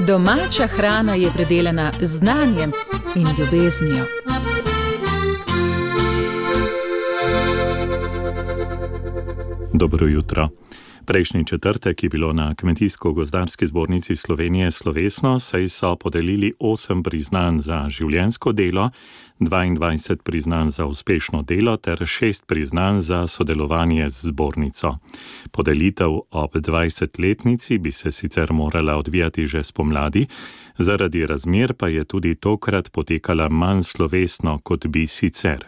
Domača hrana je predelana z znanjem in ljubeznijo. Dobro jutro. Prejšnji četrtek je bilo na Kmetijsko-gozdarski zbornici Slovenije slovesno, saj so podelili 8 priznanj za življenjsko delo, 22 priznanj za uspešno delo ter 6 priznanj za sodelovanje z zbornico. Podelitev ob 20-letnici bi se sicer morala odvijati že spomladi, zaradi razmer pa je tudi tokrat potekala manj slovesno, kot bi sicer.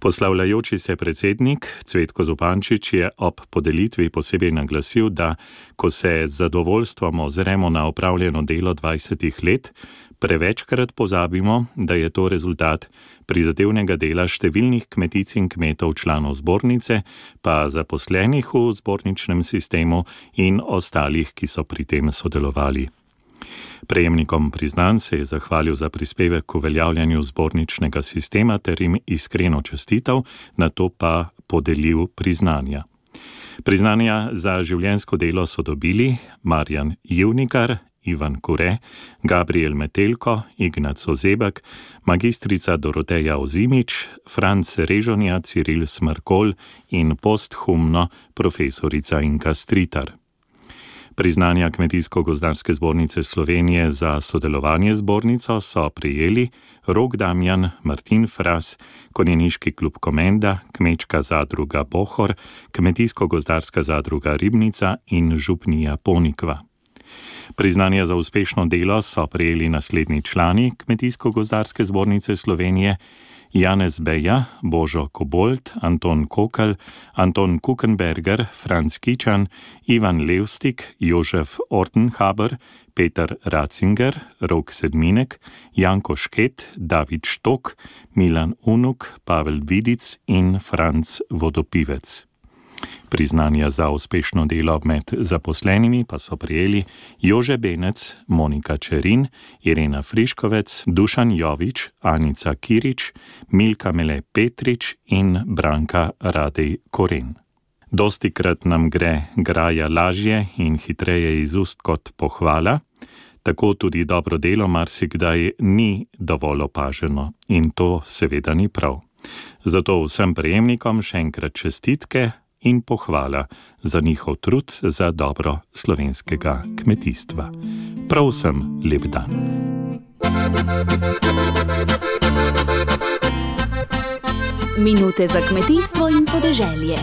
Poslavljajoči se predsednik Cvetko Zupančič je ob podelitvi posebej naglasil, da ko se z zadovoljstvom ozremo na opravljeno delo 20 let, prevečkrat pozabimo, da je to rezultat prizadevnega dela številnih kmetic in kmetov članov zbornice, pa zaposlenih v zborničnem sistemu in ostalih, ki so pri tem sodelovali. Prejemnikom priznanj se je zahvalil za prispevek k uveljavljanju zborničnega sistema ter jim iskreno čestitev, nato pa podelil priznanja. Priznanja za življenjsko delo so dobili Marjan Jevnikar, Ivan Kure, Gabriel Metelko, Ignac Ozebek, magistrica Doroteja Ozimič, Franc Režonja, Ciril Smrkolj in posthumno profesorica Inka Stritar. Priznanja Kmetijsko-gozdarske zbornice Slovenije za sodelovanje z zbornico so prejeli Rok Damjan, Martin Fras, Konjeniški klub Komenda, Kmečka zadruga Bohor, Kmetijsko-gozdarska zadruga Ribnica in Župnija Ponikva. Priznanja za uspešno delo so prejeli naslednji člani Kmetijsko-gozdarske zbornice Slovenije: Janez Beja, Božo Kobold, Anton Kokl, Anton Kukenberger, Franz Kičan, Ivan Levstik, Jožef Ortenhaber, Peter Ratzinger, Rok Sedminek, Janko Šket, David Štok, Milan Unuk, Pavel Vidic in Franc Vodopivec. Priznanja za uspešno delo med zaposlenimi pa so prejeli Jože Benec, Monika Čerin, Irena Friškovec, Dušan Jovič, Anica Kirič, Milka Mele Petrič in Branka Radej Koren. Dostikrat nam gre graja lažje in hitreje iz ust kot pohvala, tako tudi dobro delo marsikdaj ni dovolj opaženo in to seveda ni prav. Zato vsem prejemnikom še enkrat čestitke in pohvala za njihov trud za dobro slovenskega kmetijstva. Prav vsem lep dan. Minute za kmetijstvo in podeželje.